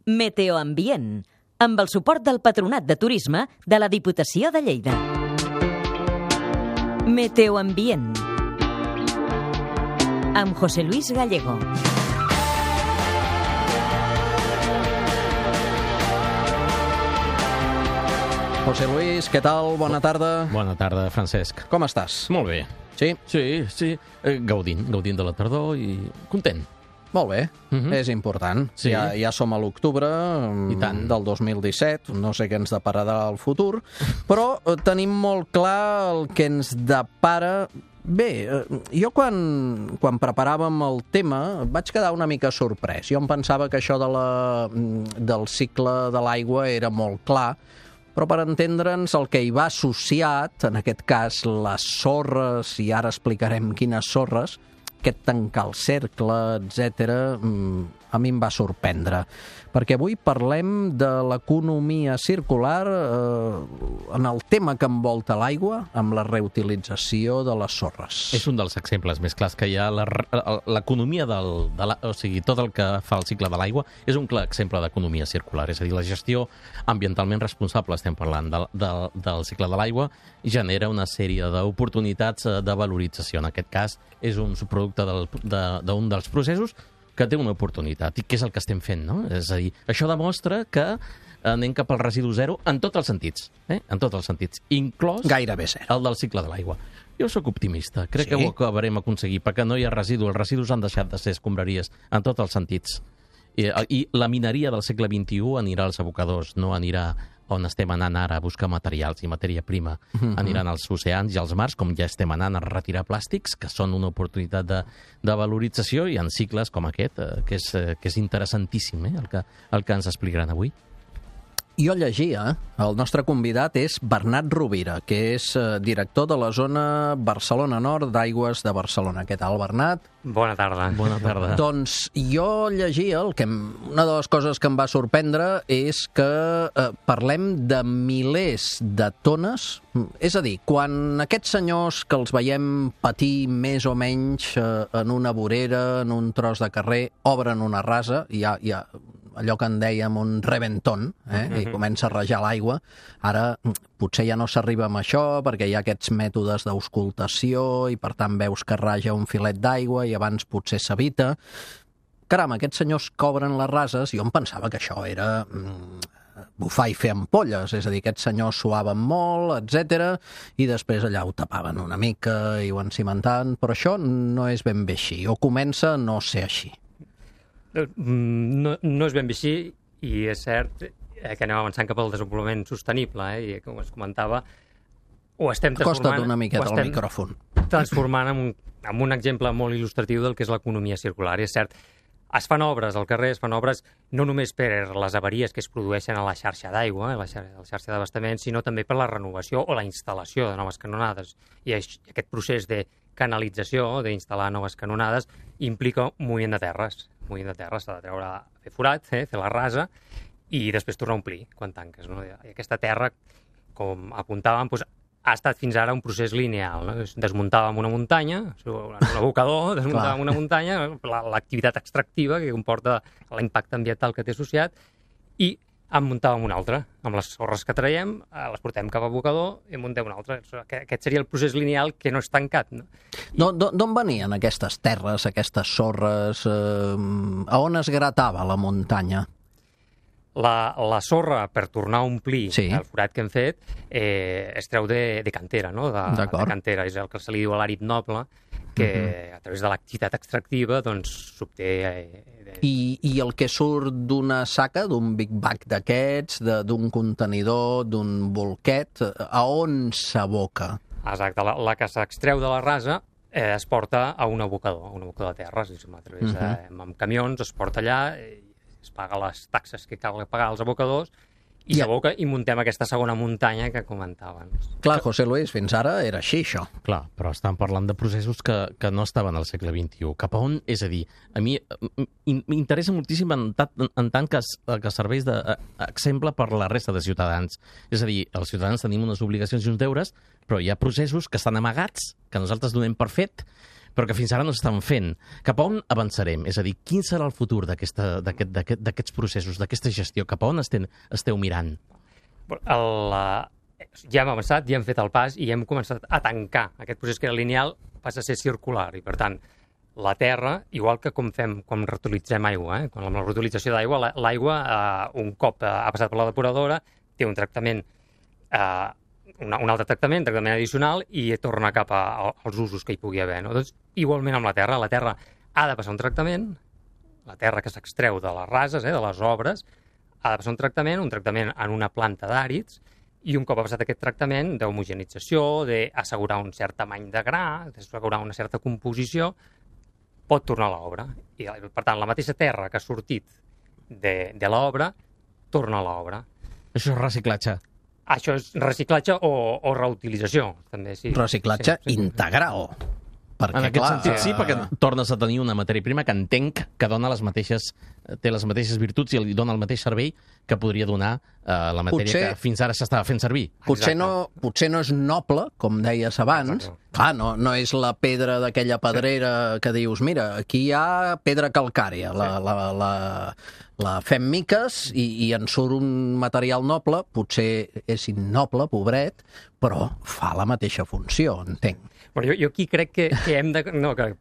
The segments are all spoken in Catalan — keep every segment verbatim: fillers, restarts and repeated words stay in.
Meteoambient, amb el suport del Patronat de Turisme de la Diputació de Lleida. Meteoambient, amb José Luis Gallego. José Luis, què tal? Bona tarda. Bona tarda, Francesc. Com estàs? Molt bé. Sí? Sí, sí. Eh, gaudint, gaudint de la tardor i content. Molt bé, Mhm. és important. Sí. Ja, ja som a l'octubre I tant. del dos mil disset, no sé què ens depararà el futur, però eh, tenim molt clar el que ens depara. Bé, eh, jo quan, quan preparàvem el tema vaig quedar una mica sorprès. Jo em pensava que això de la, del cicle de l'aigua era molt clar, però per entendre'ns el que hi va associat, en aquest cas les sorres, i ara explicarem quines sorres, aquest tancar el cercle, etcètera, a mi em va sorprendre. Perquè avui parlem de l'economia circular eh, en el tema que envolta l'aigua, amb la reutilització de les sorres. És un dels exemples més clars que hi ha. La- L'economia del... De la, o sigui, tot el que fa el cicle de l'aigua és un clar exemple d'economia circular. És a dir, la gestió ambientalment responsable, estem parlant del, del, del cicle de l'aigua, genera una sèrie d'oportunitats eh, de valorització. En aquest cas, és un subproducte del- de- d'un dels processos que té una oportunitat, i què és el que estem fent, no? És a dir, això demostra que anem cap al residu zero en tots els sentits, eh? En tots els sentits, inclòs Gairebé zero. el del cicle de l'aigua. Jo sóc optimista, crec Sí? que ho acabarem aconseguir, perquè no hi ha residu, els residus han deixat de ser escombraries en tots els sentits. I, i la mineria del segle vint-i-u anirà als abocadors, no anirà on estem anant ara a buscar materials i matèria prima. Aniran als oceans i als mars, com ja estem anant a retirar plàstics, que són una oportunitat de, de valorització, i en cicles com aquest, eh, que, és, eh, que és interessantíssim, eh, el, que, el que ens explicaran avui. Jo llegia, el nostre convidat és Bernat Rovira, que és eh, director de la zona Barcelona Nord d'Aigües de Barcelona. Què tal, Bernat? Bona tarda. Bona tarda. Doncs jo llegia, el que em, una de les coses que em va sorprendre és que eh, parlem de milers de tones. És a dir, quan aquests senyors que els veiem patir més o menys eh, en una vorera, en un tros de carrer, obren una rasa, i ja, ja allò que en dèiem un reventón, eh? I comença a rajar l'aigua. Ara potser ja no s'arriba amb això perquè hi ha aquests mètodes d'auscultació i per tant veus que raja un filet d'aigua i abans potser s'evita. Caram, aquests senyors que obren les rases, jo em pensava que això era mm, bufar i fer ampolles, és a dir, aquests senyors suaven molt, etcètera, i després allà ho tapaven una mica i ho encimentaven, però això no és ben bé així, o comença a no ser així. No, no és ben bé així, i és cert eh, que anem avançant cap al desenvolupament sostenible, eh, i com es comentava, ho estem transformant... Acosta't una miqueta ho al estem micròfon. transformant en un, en un exemple molt il·lustratiu del que és l'economia circular. I és cert, es fan obres al carrer, es fan obres no només per les avaries que es produeixen a la xarxa d'aigua, a la xarxa, a la xarxa d'abastament, sinó també per la renovació o la instal·lació de noves canonades. I aquest procés de canalització, d'instal·lar noves canonades, implica un moviment de terres. Un moviment de terres s'ha de treure, fer forat, eh, fer la rasa, i després tornar a omplir quan tanques. No? I aquesta terra, com apuntàvem, doncs, ha estat fins ara un procés lineal. No? Desmuntàvem una muntanya, un abocador, desmuntàvem una muntanya, l'activitat extractiva que comporta l'impacte ambiental que té associat, i en muntàvem una altra. Amb les sorres que traiem, les portem cap a abocador i en muntem una altra. Aquest seria el procés lineal que no és tancat. No? I... D'on venien aquestes terres, aquestes sorres? Eh, a on es gratava la muntanya? La, la sorra, per tornar a omplir Sí. el forat que hem fet, eh, es treu de, de cantera, no? de, de cantera. És el que se li diu a l'àrid noble, que uh-huh. a través de l'activitat extractiva doncs, s'obté... Eh, de... I, I el que surt d'una saca, d'un big bag d'aquests, d'un contenidor, d'un bolquet, a on s'aboca? Exacte, la, la que s'extreu de la rasa eh, es porta a un abocador, a un abocador de terres, a través de, uh-huh. amb camions, es porta allà, eh, es paga les taxes que cal pagar als abocadors, i yeah. s'aboca i muntem aquesta segona muntanya que comentaven. Clar, José Luis, fins ara era així, això. Clar, però estan parlant de processos que, que no estaven al segle vint-i-u. Cap a on? És a dir, a mi m'interessa moltíssim en, en, en tant que, que serveix d'exemple per la resta de ciutadans. És a dir, els ciutadans tenim unes obligacions i uns deures, però hi ha processos que estan amagats, que nosaltres donem per fet, però que fins ara no s'estan fent. Cap a on avançarem? És a dir, quin serà el futur d'aquesta- d'aquest- d'aquest- d'aquests processos, d'aquesta gestió? Cap a on estem, esteu mirant? El, uh, ja hem avançat, ja hem fet el pas i hem començat a tancar. Aquest procés que era lineal passa a ser circular i, per tant, la terra, igual que com fem quan reutilitzem aigua, eh? Quan amb la reutilització d'aigua, la- l'aigua, eh, un cop eh, ha passat per la depuradora, té un tractament, eh, una, un altre tractament, tractament addicional, i torna cap a, a, als usos que hi pugui haver. No? Doncs, igualment amb la terra, la terra ha de passar un tractament, la terra que s'extreu de les rases, eh, de les obres, ha de passar un tractament, un tractament en una planta d'àrids, i un cop ha passat aquest tractament d'homogenització, d'assegurar un cert tamany de gra, d'assegurar una certa composició, pot tornar a l'obra. I, per tant, la mateixa terra que ha sortit de, de l'obra torna a l'obra. Això és reciclatge. Això és reciclatge o, o reutilització, també, sí. Reciclatge sí, sí. integral. Perquè, En aquest clar, sentit, sí, eh, perquè tornes a tenir una matèria prima que entenc que dona les mateixes, té les mateixes virtuts i li dona el mateix servei que podria donar eh, la matèria Potser- que fins ara s'estava fent servir. Potser Exacte. no, potser no és noble, com deies abans. Exacte. Clar, no, no és la pedra d'aquella pedrera que dius, mira, aquí hi ha pedra calcària, la, la, la, la fem miques i, i en surt un material noble, potser és innoble, pobret, però fa la mateixa funció, entenc. Bueno, jo, jo aquí crec que, que hem de... No, que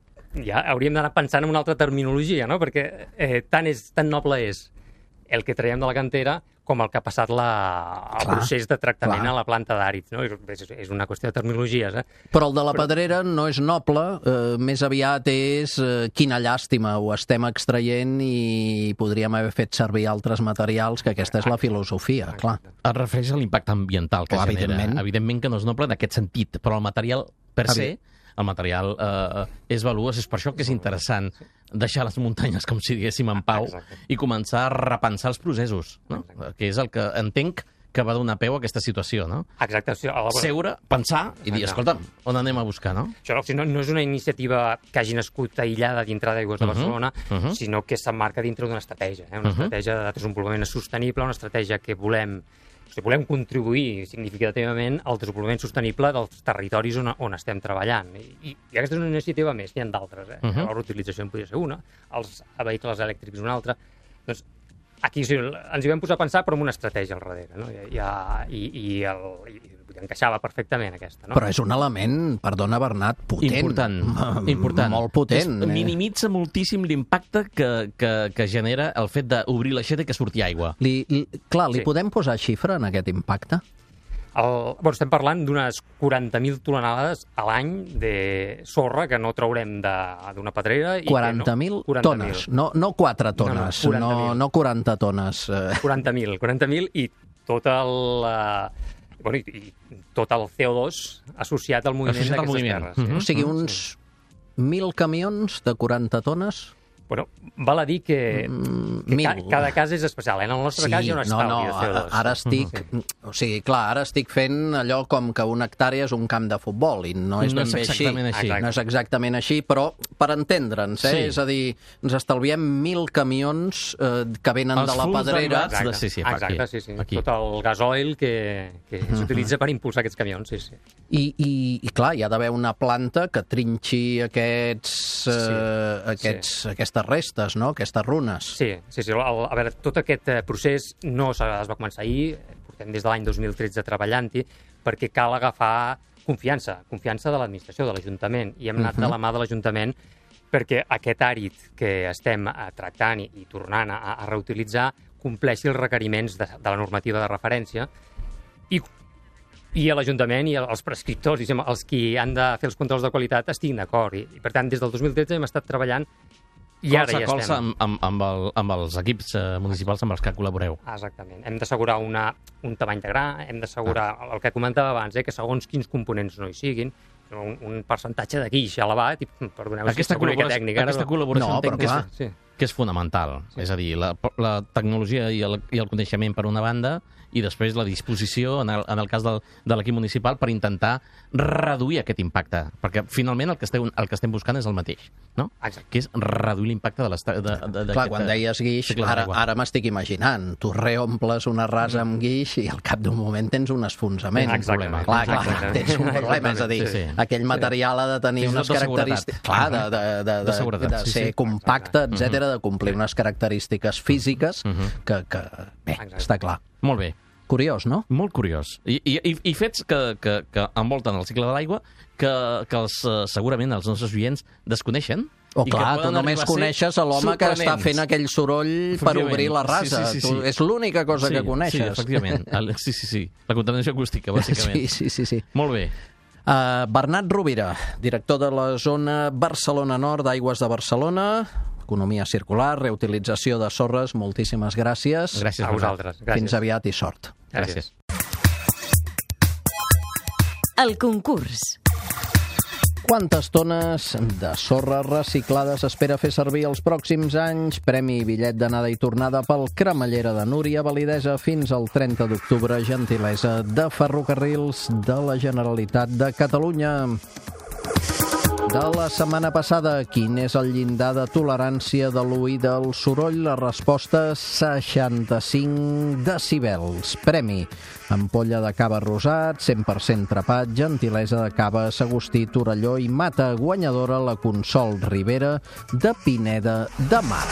ja hauríem d'anar pensant en una altra terminologia, no? Perquè eh, tan, és, tan noble és el que traiem de la cantera com el que ha passat la, el Clar, procés de tractament clar. a la planta d'àrids. No? És, és una qüestió de terminologies. Eh? Però el de la pedrera no és noble, eh, més aviat és eh, quina llàstima, ho estem extraient i podríem haver fet servir altres materials, que aquesta és la filosofia, clar. Es refereix a l'impacte ambiental que Clar, genera. evidentment. Evidentment que no és noble en aquest sentit, però el material per se, el material eh, és valuós. És per això que és interessant deixar les muntanyes, com si diguéssim, en pau Exacte. i començar a repensar els processos, no? Que és el que entenc que va donar peu a aquesta situació, no? Exacte. Sí, a la... Seure, pensar i dir, Exacte. escolta'm, on anem a buscar, no? Això no, no és una iniciativa que hagi nascut aïllada dintre d'Aigües de Uh-huh, Barcelona, uh-huh. sinó que s'emmarca dintre d'una estratègia, eh? una Uh-huh. estratègia de desenvolupament sostenible, una estratègia que volem, o sigui, volem contribuir significativament al desenvolupament sostenible dels territoris on, on estem treballant. I, i, i aquesta és una iniciativa més, n'hi ha d'altres. Eh? Uh-huh. La reutilització en podria ser una, els vehicles elèctrics una altra. Doncs aquí sí, ens hi vam posar a pensar, però amb una estratègia al darrere, no? I, i, i, el, i encaixava perfectament aquesta, no? Però és un element, perdona Bernat, potent. Important, M- important. Molt potent. És, minimitza moltíssim l'impacte que, que, que genera el fet d'obrir l'aixeta i que surti aigua. Li, li, clar, li Sí. podem posar xifra en aquest impacte? El, bueno, estem parlant d'unes quaranta mil tonelades a l'any de sorra que no traurem de- d'una pedrera. i que quaranta mil no, tones, no, no quatre tones, No, no, no, no, quaranta mil. no quaranta tones. eh. quaranta mil, quaranta mil i tot el... eh, bueno, i, i tot el C O dos associat al moviment Associat al d'aquestes moviment. terres. Mhm. O sigui, uns mil camions de quaranta tones? Bueno, val a dir que, Mm, que ca, mil. cada cas és especial. En el nostre cas hi ha un estalvi no, no, de C O dos. ara estic... O sigui, clar, ara estic fent allò com que una hectàrea és un camp de futbol i no és No ben és bé així. exactament així. No és exactament així, però per entendre'ns, eh? Sí. És a dir, ens estalviem mil camions eh, que venen Els de la fulls pedrera. derivats de- sí, sí, fa Exacte, aquí, sí, sí. aquí. Tot el gasoil que, que s'utilitza per impulsar aquests camions, sí, sí. I, i, I clar, hi ha d'haver una planta que trinxi aquests, eh, aquests, sí. aquestes restes, no? Aquestes runes. Sí, sí, sí. El, a veure, tot aquest eh, procés no es va començar ahir, portem des de l'any dos mil tretze treballant-hi, perquè cal agafar confiança, confiança de l'administració, de l'Ajuntament, i hem anat de la mà de l'Ajuntament perquè aquest àrid que estem eh, tractant i, i tornant a, a reutilitzar compleixi els requeriments de, de la normativa de referència i, i a l'Ajuntament i els prescriptors, diguem, els qui han de fer els controls de qualitat estiguin d'acord. I, I, per tant, des del dos mil tretze hem estat treballant i ara colze ja a colze estem. amb, amb, amb, el, amb els equips eh, municipals amb els que col·laboreu. Ah, exactament. Hem d'assegurar una, un tamany de gra, hem d'assegurar Ah. el que comentava abans, eh, que segons quins components no hi siguin, un, un percentatge de guix elevat, i perdoneu si Aquesta és una mica col·laboració, tècnica. aquesta però- col·laboració No, entenc però que és, clar. Sí. que és fonamental. Sí. És a dir, la, la tecnologia i el, i el coneixement per una banda, i després la disposició, en el, en el cas del, de l'equip municipal, per intentar reduir aquest impacte. Perquè finalment el que estem, el que estem buscant és el mateix, no? Exacte. Que és reduir l'impacte de l'estat... De, de, de, Clar, quan deies guix, ara, ara m'estic imaginant. Tu reomples una rasa amb guix i al cap d'un moment tens un esfonsament. Exacte. Clar, clar, clar, tens un problema. És a dir, Sí, sí. aquell material ha de tenir Fins i unes tot de característiques... Clar, de, de, de, De de, seguretat, de sí, ser sí. compacte, etcètera, de complir unes característiques físiques que, que bé, Exacte. està clar. Molt bé. Curiós, no? Molt curiós. I, i, i fets que, que, que envolten el cicle de l'aigua que, que els, eh, segurament els nostres oients desconeixen. O i que clar, tu poden només arribar a ser coneixes a l'home que està sorprenents. fent aquell soroll per Efectivament. obrir la rasa. Sí, sí, sí, Tu, sí. és l'única cosa sí, que coneixes. Sí, efectivament. El, sí, sí, sí. La contaminació acústica, bàsicament. Sí, sí, sí, sí. Molt bé. Uh, Bernat Rovira, director de la zona Barcelona Nord d'Aigües de Barcelona, economia circular, reutilització de sorres, moltíssimes gràcies. Gràcies A vosaltres. Gràcies. Fins aviat i sort. Gràcies. El concurs. Quantes tones de sorra reciclada s'espera fer servir els pròxims anys? Premi i bitllet d'anada i tornada pel Cremallera de Núria, validesa fins al trenta d'octubre, gentilesa de Ferrocarrils de la Generalitat de Catalunya. De la setmana passada, quin és el llindar de tolerància de l'oïda al soroll? La resposta, seixanta-cinc decibels. Premi, ampolla de cava rosat, cent per cent trepat, gentilesa de cava Sagustí, Torelló i Mata, guanyadora la Consol Ribera de Pineda de Mar.